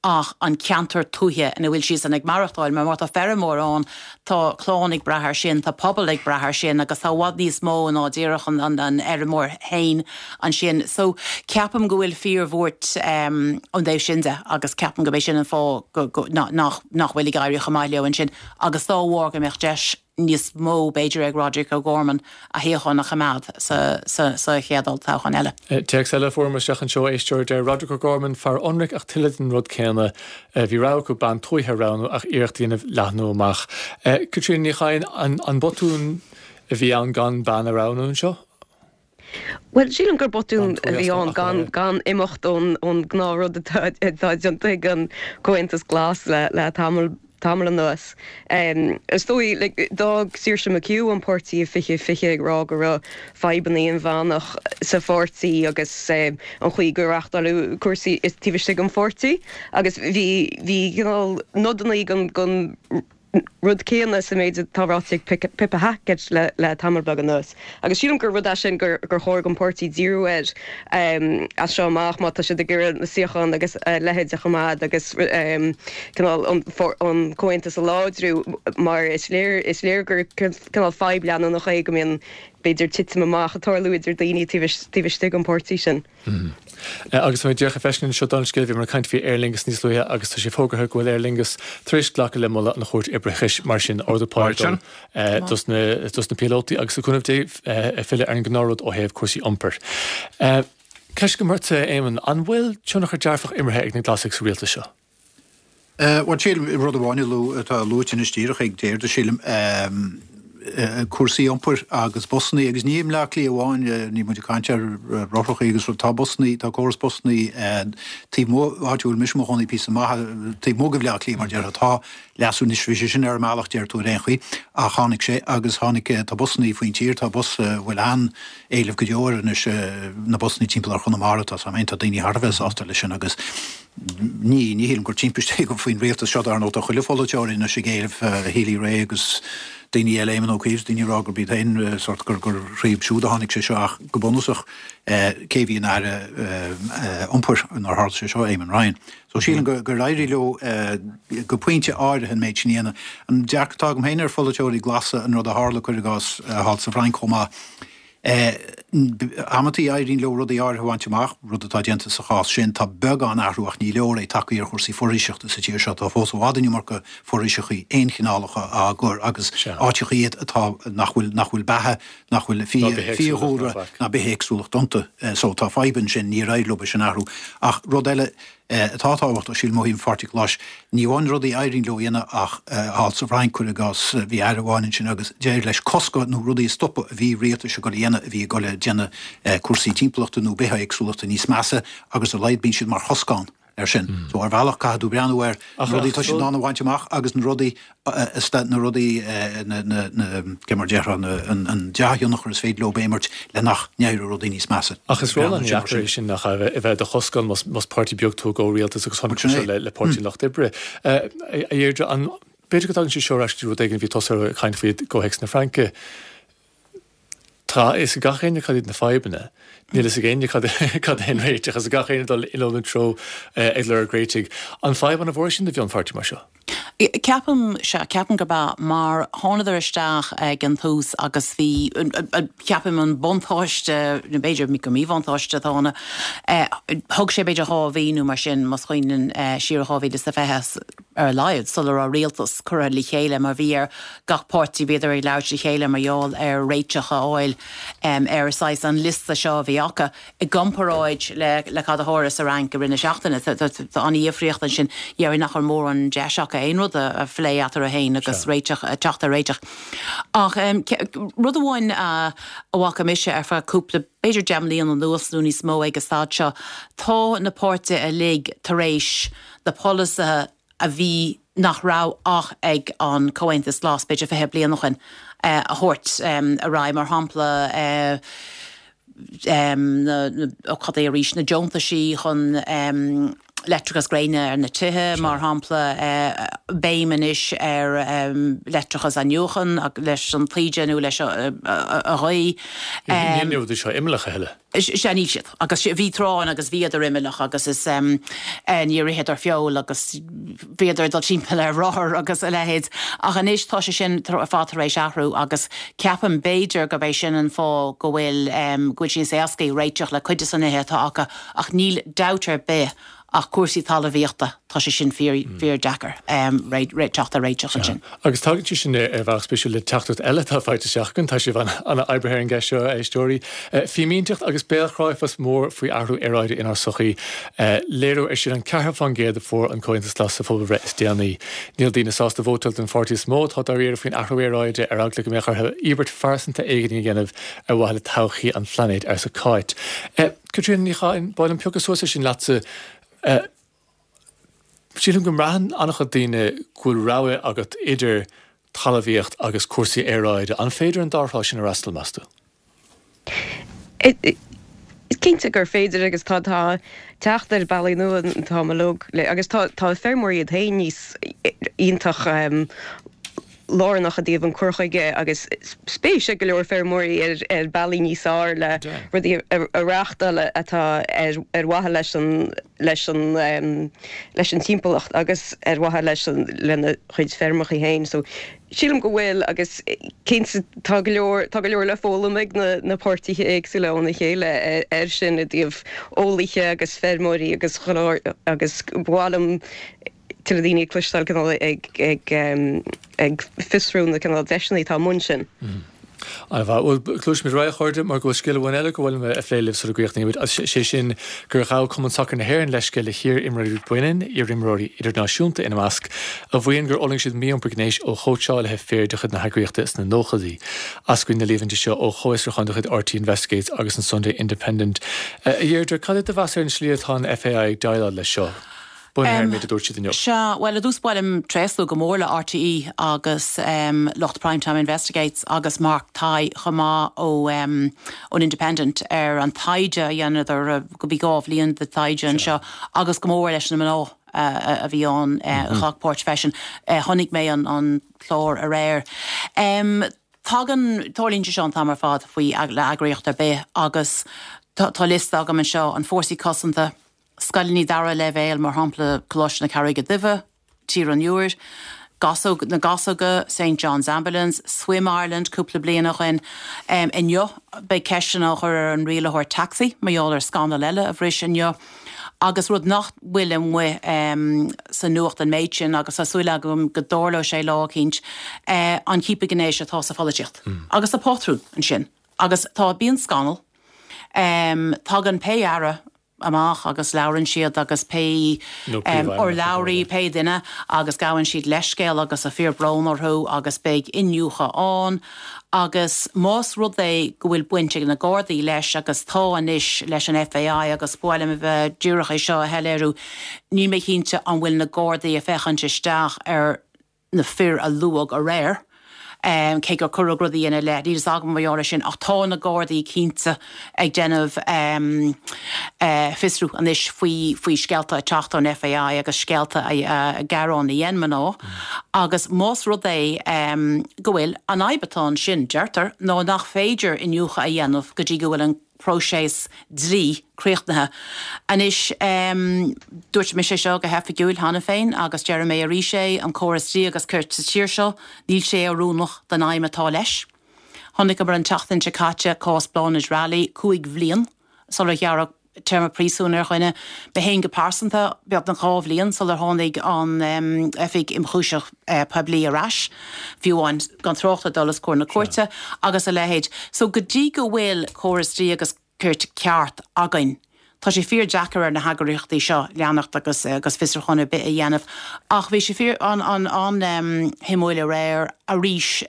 ach an ceantar tuaithe ina bhfuil siadsan ag maireachtáil, mar má tá feirmeoir ann, tá clann ag brath air sin, tá pobal ag brath air sin agus tá i bhfad níos mó ná díreach an an fheirmeoir féin ansin. So ceapaim go bhfuil fíorbhuairt ón dtaobh sin de agus ceapaim go b'é sin an fáth go go nach nach bhfuil ag éirí chomh maith leo ansin agus dá bharr go mbeadh deis níos mó b'fhéidir ag Roderic O'Gorman a shuíochán a choimeád sa sa chéad olltoghchán eile. Téacs eile a fuaireamar isteach anseo, éisteoir, deir Roderic O'Gorman, fear ionraic ach tuilleadh den rud céanna. Bhí rogha acu bean tuaithe a roghnú ach iarracht a dhéanamh leathnú amach. Caitríona Ní Chadhain, an botún a bhí ann gan bean a roghnú anseo? Bhuel, sílim gur botún a bhí ann gan gan imeacht ón ón ngnáthrud atá atá déanta ag an Comhaontas Glas le le tamall tamall anuas. Is dóigh, like, d'fhág Saoirse McHugh an páirtí i fiche fiche ag rá go raibh fadhbanna inmheánach sa pháirtí agus an chaoi gur reáchtáladh cúrsaí taobh istigh den pháirtí agus bhí bhí cineál nodanna den den rud céanna sa méid atá ráite ag Pippa Hackett le le tamall beag anuas. Agus sílim gur rud é sin gur gur chóir don pháirtí díriú air as seo amach má tá siad ag iarraidh na suíocháin agus a leithéid a choimeád agus cineál an an comhaontas a láidriú mar is léir is léir gur cineál fadhb leanúnach é go mbíonn b'fhéidir titim amach ag tarlú idir daoine taobh istigh den pháirtí sin. Agus tá mé díreach ag feiscint anseo don scéal, bhíomar ag caint faoi Aer Lingus níos luaithe agus tá sé fógartha go bhfuil Aer Lingus tar éis glacadh le moladh an Chúirt Oibreachais, mar sin ardú pá dos na dos na píolótaí agus le cúnamh Dé filleadh ar an ngnáthrud ó thaobh cúrsaí iompair. Ceist agam ortsa, Éamonn, an bhfuil tionchar dearfach imeartha ag na Glasaigh sa rialtas seo? Bhuel, sílim, rud amháin atá luaite anois díreach ag Deirdre, sílim, cúrsaí iompair agus busannaí, agus ní i mBleá Cliath amháin, níl muid ag caint ar rothrachaí agus rud, tá busannaí, tá córas busannaí taobh amuigh, áit a bhfuil mise i mo chónaí píosa maith taobh amuigh de Bhleá Cliath mar déarfá, tá leasú anois, bhí sé sin ar an mbealach deir tú ar aon chaoi, ach tháinig sé agus tháinig, tá busannaí faoin tír, tá bus a bhfuil an-éileamh go deo air anois, na busannaí timpeall ar Chonamara, tá tá daoine thar a bheith sásta leis sin agus ní, ní shílim gur timpiste é gur faoin rialtas seo, dar ndóigh tá chuile pholaiteoir anois ag éileamh Healy-Rae agus daoine eile, Éamon Ó Cuív, daoine ag rá gurb iad féin sórt gur gur thríob siúd a tháinig sé seo ach go bunúsach cé a bhí ina aire iompair nuair a tharla sé seo, Eamon Ryan. So sílim gur gur éirigh leo go pointe áirithe an méid sin a dhéanamh. An dearcadh atá agam féin ar pholaiteoirí glasa, an rud a tharla, cuir i gcás, thall sa Bhfrainc chomh maith, Amantaí éiríonn leo rudaí áirithe a bhaint amach, rud atá déanta sa chás sin. Tá beagán athrú ach ní leor é tagtha ar chúrsaí foraoiseachta sa tír seo. Tá fós i bhfad an iomarca foraoiseachaí aonchineálacha á gcur agus áiteacha iad atá nach bhfuil nach bhfuil beatha, nach bhfuil fiadhúlra ná bithéagsúlacht iontu. So tá fadhb ansin, níor éirigh leo é sin a athrú. Ach rud eile, atá tábhachtach, sílim, ó thaobh an Pháirtí Ghlais. Ní amháin rudaí a éiríonn leo a dhéanamh ach thall sa Bhfrainc, cuir i gcás, bhí aire amháin ansin agus d'éirigh leis cosc nó rudaí a stopadh a bhí rialtais ag dul a dhéanamh a bhí ag dul a déanamh cúrsaí timpeallachta nó bithéagsúlachta níos measa agus ar a laghad bíonn siad mar choscán air sin. So ar bhealach caithfidh tú breathnú ar na rudaí atá siad in ann a bhaint amach agus na rudaí na rudaí na na cé mar déarfá na an dea-thionchar is féidir leo a imirt le nach n-éireoidh rudaí níos measa. Ach is ról an-deacair é sin nach ea, a bheith i do choscán más más páirtí beag tú i gcomhrialtas agus chonaic tú seo le le Páirtí an Lucht Oibre. A Dheirdre, an b'fhéidir go dtagann sé seo ar ais go dtí rud éigin a bhí tusa ag caint faoi i gcomhthéacs na Fraince. Tá a fhios ag gach éinne cad iad na fadhbanna. Níl a fhios ag éinne cad cad é an réiteach. Agus gach éinne ag dul in aon treo ag lorg réitigh. An fadhb an-mhór sin do mhionpháirtí mar seo? Ceapaim, sea, ceapaim gurb ea, mar thánadar isteach ag an tús agus bhí, ceapaim an buntáiste, nó b'fhéidir gur míbhuntáiste atá ann, thug sé b'fhéidir dhá mhí nó mar sin, más cuimhin linn siar i dhá mhíle is a fiche ar a laghad, sula raibh rialtas curtha le chéile mar bhí ar gach páirtí, bhíodar ag labhairt le chéile mar gheall ar réiteach a fháil ar saghas an liosta seo a bhí acu i gcomparáid le le cad a tharla sa Fhrainc i rith na seachtaine. Tá an-dhifríocht ansin. Déarfainn nach raibh mórán deis acu aon rud a phlé eatarthu féin agus réiteach, teacht ar réiteach. Ach rud amháin a bhfaca mise ar feadh cúpla, b'fhéidir deich mbliana anuas nó níos mó ag an staid seo, tá na páirtithe uilig tar éis na polasaithe a bhí, nach raibh ach ag an Comhaontas Glas b'fhéidir fiche bliain ó shin, a thabhairt ar aghaidh. Mar shampla, na, cad é arís, na deontaisí chun Leictreachas gréine ar na tithe, mar shampla, béim anois ar leictreachas athnuachan leis an taoide nó leis an ghaoth. Níl na rudaí seo imeallach a thuilleadh. Sea, níl siad. Agus bhí tráth ann agus bhíodar imeallach agus is níor itheadar feoil agus bhíodar ag dul timpeall ar rothar agus a leithéid. Ach anois tá sé sin ar fad tar éis athrú agus ceapaim b'fhéidir gurb é sin an fáth go bhfuil go bhfuil sé níos éascaí réiteach le cuid de na nithe atá acu ach níl dabht ar bith ach cúrsaí talmhaíochta, tá sé sin fíor, fíor-deacair teacht ar réiteach ansin. Agus tagann sé sin ar bhealach spéisiúil le teachtaireacht eile atá faighte isteach againn, tá sibh an-oibrithe ar an gceist seo, a éisteoirí. Fímínteacht agus béalchráifeachas mór faoi athrú aeráide inár sochaí. Léiriú air sin an ceathracha faoin gcéad a fuair an Comhaontas Glas sa phobalbhreith is déanaí. Níl daoine sásta vótáil don pháirtí is mó atá dáiríre faoin athrú aeráide ar eagla go mbeadh orthu íobairt phearsanta éigin a dhéanamh ar mhaithe le todhchaí an phláinéid, arsa Cáit. Caitríona Ní Chadhain, ba mhaith liom piocadh suas air sin leatsa. Sílim go mbraitheann an-chuid daoine go bhfuil rogha agat idir talmhaíocht agus cúrsaí aeráide. An féidir an dá thrá sin a fhreastal, meas tú? Is cinnte gur féidir agus tá tá teacht ar bealaí nua an t-am uilig le agus tá tá feirmeoirí iad féin níos iontach lárnach i dtaobh an cur chuige agus spéis ag go leor feirmeoirí ar ar bealaí níos fearr le rudaí a reáchtáil atá ar ar mhaithe leis an leis an leis an timpeallacht agus ar mhaithe leis an lena chuid feirmeacha féin. So sílim go bhfuil agus cinnte tá go leor tá go leor le foghlaim ag na na páirtithe éagsúla óna chéile ar sin i dtaobh eolaithe agus feirmeoirí agus agus ba mhaith liom tuilleadh daoine a chloisteáil cineál ag ag ag fiosrú na cineál deiseanna atá amuigh ansin. An-mhaith. Bhuel, gluaisimid ar aghaidh, a chairde, mar go bhfuil scéal amháin eile go bhfuil mé a phlé libh sula gcríochnaímid, agus sé sin gur ghabh Cumann Sacair na hÉireann leithscéal le hiar-imreoirí baineann, iarimreoirí idirnáisiúnta ina measc, a mhaíonn gur fhulaing siad mí-iompar gnéis ó chóitseálaithe fir de chuid na heagraíochta sna nóchaidí. Eascraíonn na líomhaintí seo ó chomhfhiosrúchán de chuid RTÉ Investigates agus an Sunday Independent. A Dheirdre, cad é do mheas ar an slí atá an FAI ag déileáil leis seo? Bunaithe ar an méid a dúirt siad inniu. Sea, bhuel, i dtús ba mhaith liom tréaslú go mór le RTÉ agus lucht Prime Time Investigates agus Mark Tighe chomh maith ó ón Independent ar an taighde a dheineadar, go bhí dhá bhliain de taighde anseo agus go mór leis na mná a bhí ann a ghlac páirt freisin. Chonaic mé an clár aréir. Tagann, tarlaíonn sé seo an t-am ar fad faoi le eagraíocht ar bith agus tá liosta agam anseo, an Fórsaí Cosanta, Scoileanna dara leibhéal, mar shampla Coláiste na Carraige Duibhe, Tír an Iúir, Gasóg, na Gasóga, Saint John's Ambulance, Swim Ireland cúpla bliain ó shin. Inniu beidh ceisteanna á chur ar an rialaitheoir tacsaí mar gheall ar scannal eile a bhris inniu. Agus rud nach bhfuil amuigh sa nuacht an méid sin, agus tá súil agam go dtarlóidh sé lá eicínt, an ciapadh gnéis atá sa pholaitíocht. Agus tá pátrún ansin. Agus tá, bíonn scannal. Tagann pé aire amach agus labhrann siad agus pé urlabhraí, pé duine agus gabhann siad leithscéal agus tá fíorbhrón orthu agus beidh iniúchadh ann agus más rud é go bhfuil baint ag na Gardaí leis agus tá anois leis an FAI agus ba mhaith liom a bheith díreach é seo a shoiléiriú, níl mé cinnte an bhfuil na Gardaí ag féachaint isteach ar na fir a luadh aréir, cé gur cuireadh rudaí ina leith, níl fhios agam mar gheall air sin, ach tá na Gardaí cinnte ag déanamh fiosrú anois faoi faoi scéalta ag teacht ón FAI agus scéalta gearáin a dhein mná agus más rud é go bhfuil, an fhadhb atá ansin, deirtear, ná nach féidir iniúchadh a dhéanamh go dtí go bhfuil an próiseas dlí críochnaithe. Anois, dúirt mise seo go hoifigiúil cheana féin agus déarfaidh mé arís é, an córas dlí agus cirt sa tír seo, níl sé oiriúnach don fheidhm atá leis. Chonaiceamar an tseachtain seo caite cás Bláthnaid Raleigh, cúig bhliain sular gearradh téarma príosúin ar dhuine. Mé féin go pearsanta, beagnach dhá bhliain sular tháinig an Oifig Ionchúiseach Poiblí ar ais, fiú amháin, gan trácht ar dul os comhair na cúirte agus a leithéid. So go dtí go bhfuil córas dlí agus cirt ceart againn, tá sé fíor deacair ar na heagraíochtaí seo leanacht agus agus fiosrúchán ar bith a dhéanamh. Ach bhí sé fíor an-an-an-shuimiúil aréir arís.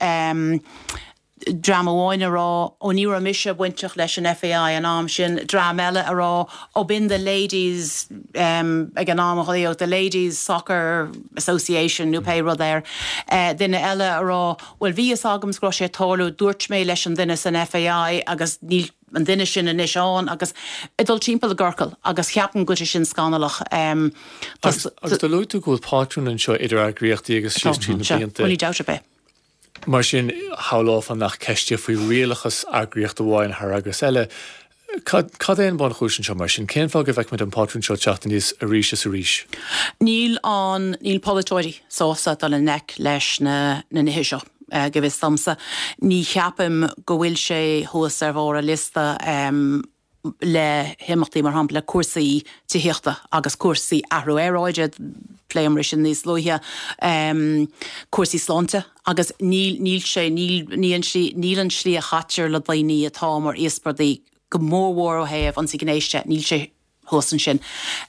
dream amháin a rá, ó ní raibh mise bainteach leis an FAI an am sin, dream eile a rá, ó b'in the ladies ag an am a ghlaodh the ladies soccer association nó pé rud air, duine eile a rá, bhuel bhí fhios agam go raibh sé ag tarlú, dúirt mé leis an duine san FAI agus níl an duine sin anois ann agus ag dul timpeall i gciorcal agus ceapaim go bhfuil sé sin scannalach. Agus agus do luaigh tú go bhfuil pátrún anseo idir eagraíochtaí agus síos tríd na blianta. Ní dabht ar bith. Mar sin, shamhlófá nach ceist é faoi rialachas eagraíocht amháin thar eagras eile. Cad cad é an bunchúis anseo mar sin? Cén fáth go bhfeicimid an pátrún seo teacht aníos arís is arís? Níl an níl polaiteoirí sásta dul i ngleic leis na na nithe seo, go bhfios domsa. Ní cheapaim go bhfuil sé thuas ar bharr an liosta le himeachtaí, mar shampla, cúrsaí tithíochta agus cúrsaí athrú aeráide, phléamar sin níos luaithe, cúrsaí sláinte agus níl níl sé níl ní an slí níl an slí a chaitear le daoine atá mar íospartaigh, go mórmhór ó thaobh ionsaí gnéis de, níl sé thuas ansin.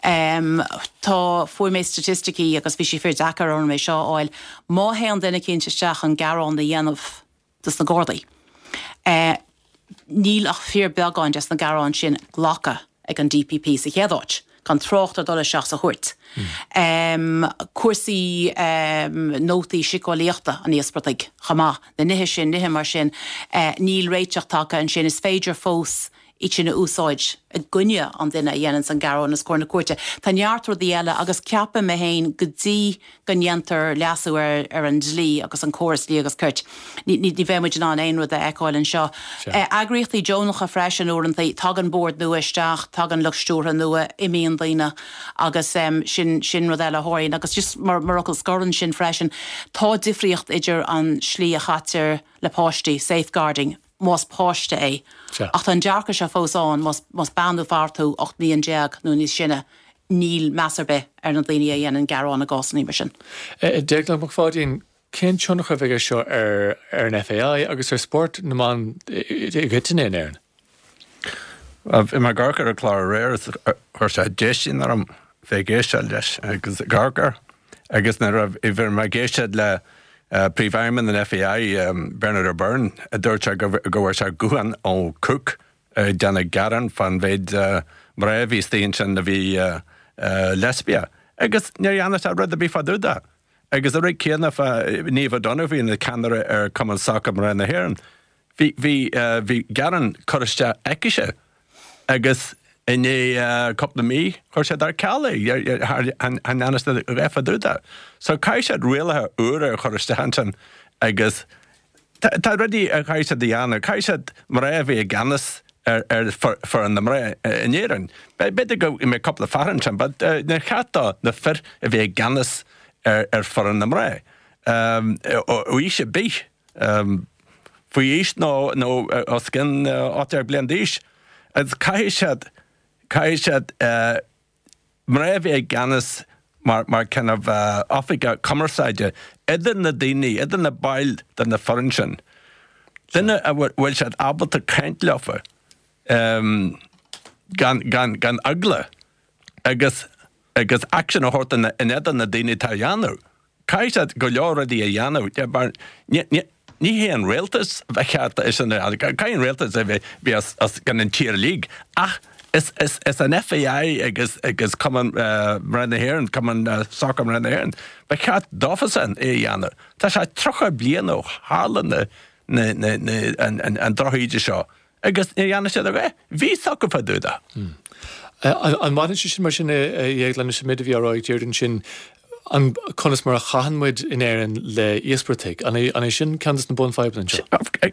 Tá, fuair mé staitisticí agus bhí sé fíor deacair orm é seo a fháil, má théann duine eicínt isteach chun gearán a dhéanamh dos na Gardaí, níl ach fíor beagán des na gearáin sin glactha ag an D P P sa chéad áit, gan trácht ar dul isteach sa chúirt. Cúrsaí nótaí síceolaíochta an íospartaigh chomh maith, na nithe sin, nithe mar sin, níl réiteach tagtha ansin. Is féidir fós iad sin a úsáid i gcoinne an duine a dhéananns an gearán os comhair na cúirte. Tá neart rudaí eile agus ceapaim mé féin go dtí go ndéantar leasú ar ar an dlí agus an córas dlí agus cirt, ní ní bheidh muid in ann aon rud a fheiceáil anseo. Eagraíochtaí deonacha freisin uaireanta, tagann bord nua isteach, tagann lucht stiúrtha nua, imíonn daoine agus sin sin rud eile a tharlaíonn. Agus just mar mar fhocal scoir ansin freisin, tá difríocht idir an slí a chaitear le páistí, safeguarding, más páiste é. Ach tá an dearcadh seo fós ann, más más bean nó fear tú ocht mbliain déag nó níos sine, níl meas ar bith ar na daoine a dhéanann gearán i gcásanna mar sin. Déaglán Mac Pháidín, cén tionchar a bheidh aige seo ar ar an F A I agus ar spórt na mban i gcoitinne in Éirinn? Bhí mé ag amharc ar an chlár aréir is chuir sé déistin orm bheith ag éisteacht leis agus ag amharc air agus nuair a bhí mé ag éisteacht le Príomhfheidhmeannach an F A I, Bernard O'Byrne, a dúirt sé go bhfuair sé guthán ó Cook ag déanamh gearán fán mhéid mná a bhí istigh ansin a bhí leispiach agus níor dhearna sé rud ar bith fá dtaobh de. Agus an rud céanna fá Niamh O'Donoghue ina ceannaire ar Cumann Sacair Mná na hÉireann. Bhí bhí bhí gearán curtha isteach aicise agus i ndiaidh cúpla mí chuir siad ar ceal é, chan dhearna siad a dhath fá dtaobh de. So caithfidh siad rialacha úra a chur isteach ansin agus tá rudaí a chaithfidh siad a dhéanamh. Caithfidh siad mná a bheith i gceannas ar ar foireann na mná in Éirinn. B'fhéidir go mbeidh cúpla fear ansin, but níor cheart do na fir a bheith i gceannas ar ar foireann na mná. Ó aois ar bith, faoi aois nó nó os cionn ocht déag bliain d'aois. Agus caithfidh siad, caithfidh siad mná a bheith i gceannas mar, mar kind of oifigeach cumarsáide idir na daoine, idir na baill de na foireann sin. Duine a bhfuil siad ábalta caint leofa gan, gan, gan eagla agus, agus action a thabhairt in éadan na daoine atá á dhéanamh. Caithfidh siad go leor rudaí a dhéanamh mar ní hé an rialtas ba cheart é sin a dhéanamh. Caithfidh an rialtas a bheith bheith os cionn an tír uilig ach is, is, is an F A I agus, agus Cumann Mná na hÉireann, Cumann Sacair Mná na hÉireann, ba cheart dófasan é a dhéanamh. Tá sé tríocha bliain ó tharla na, na, na, na, an, an, an drochíde seo agus níor dhearna siad a dhath. Bhí a fhios acu fá dtaobh de. An mbaineann sé sin mar sin a Dhéagláin leis an méid a bhí á rá ag Deirdre ansin an conas mar a chaitheann muid in Éirinn le íospartaigh? An é, an é sin ceann de na bunfhadhbanna anseo?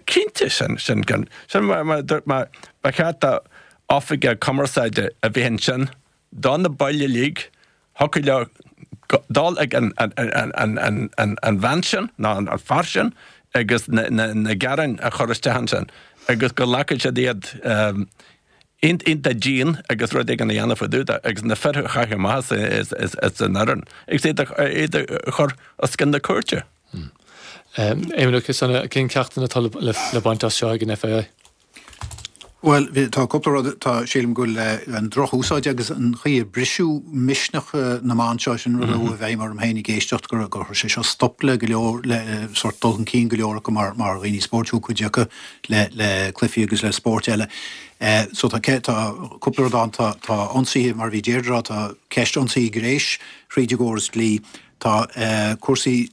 Cinnte sin, sin, sin mar, mar, mar ba cheart do oifigeach cumarsáide a bheith ansin do na baill uilig, thiocfadh leo dul ag an, an, an, an, an, an, an bhean sin nó an, an fear sin agus na, na, na gearáin a chur isteach ansin agus go nglacfaidh siad iad um, iontach dian agus rud éigin a dhéanamh fá dtaobh de agus na fir a chaitheamh amach as, as, as an fhoireann agus iad a, iad a chur os cionn na cúirte. Éamon Ó Ciosáin, cén ceachtanna atá le, le, le baint as seo ag an F A I? Bhuel, tá cúpla rud, tá sílim go bhfuil an drochúsáid agus an chaoi a briseadh misneach na mban seo sin rud a bheidh mar féin ag éisteacht gur gur chuir sé seo stop le go leor le sort dul chun cinn go leor acu mar mar dhaoine spóirt cuid acu le le cluichí agus le spóirt eile. Uh, so tá tá cúpla rud ann tá tá ionsaithe mar bhí Deirdre tá ceist ionsaí gnéis thríd an gcóras dlí tá uh, cúrsaí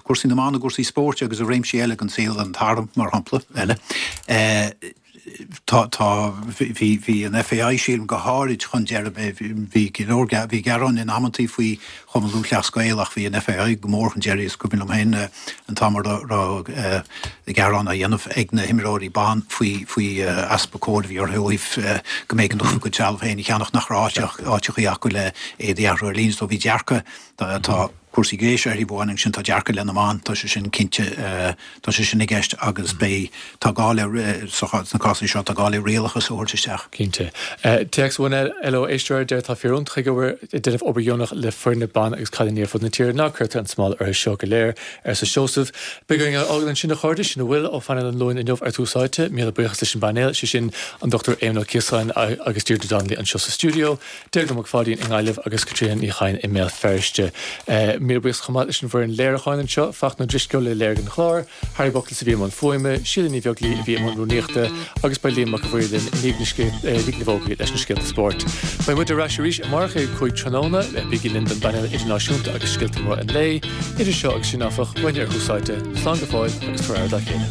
cúrsaí na mban i gcúrsaí spóirt agus a réimsí eile den saol an t-arm mar shampla eile. Uh, Tá, tá, bhí, bhí an FAI, sílim, go háirid chun deiridh, bhí go leor, bhí gearáin in amantaí faoi Chumann Lúthchleas Gael ach bhí an FAI go mór chun deiridh, is cuimhin liom féin an t-am a raibh gearán á dhéanamh ag na himreoirí ban faoi, faoi easpa cóir a bhí orthu ó thaobh go mb'éigean dóibh a gcuid trealamh féin a cheannach nach raibh áiteachaí acu le éadaí a athrú ar líne so bhí dearcadh, tá. Cúrsaí gnéis ar thaobh amháin ansin tá dearcadh i leith na mban, tá sé sin cinnte, tá sé sin i gceist agus beidh, tá gá le, sna cásanna seo, tá gá le rialachas a thabhairt isteach. Cinnte. Téacs amháin eile ó éisteoir a deir tá fir iontacha ag obair, ag déanamh obair dheonach le foirne ban agus cailíní ar fud na tíre, ná cuirtear an smál orthu seo go léir, arsa Seosamh. Beidh orainn é a fhágáil ansin a chairde, sin a bhfuil ó phainéal an Luain inniu ar Tús Áite. Míle buíochas leis an bpainéal, sé sin an Dochtúir Éamon Ó Ciosáin agus Deirdre Donnelly anseo sa stiúideo. Deirdre Mac Pháidín i nGaillimh agus Caitríona Ní Chadhain i mBéal Feirste. Míle buíochas chomh maith leis an bhfoireann léiriúcháin anseo, Fachtna Ó Drisceoil a léirigh an clár, Harry Buckles a bhí i mbun fuaime, Síle Ní Bheaglaoi a bhí i mbun rúnaíochta agus beidh Liam Mac a' Mhaoir linn i ndiaidh na bhfógraí leis na scéalta spóirt. Beidh muid ar ais arís amárach ag a cúig tráthnóna. Bígí linn don bpainéal idirnáisiúnta agus scéalta móra an lae. Idir seo agus sin áfach, uainne ar Thús Áite, slán go fóill agus tabhair aire dá chéile.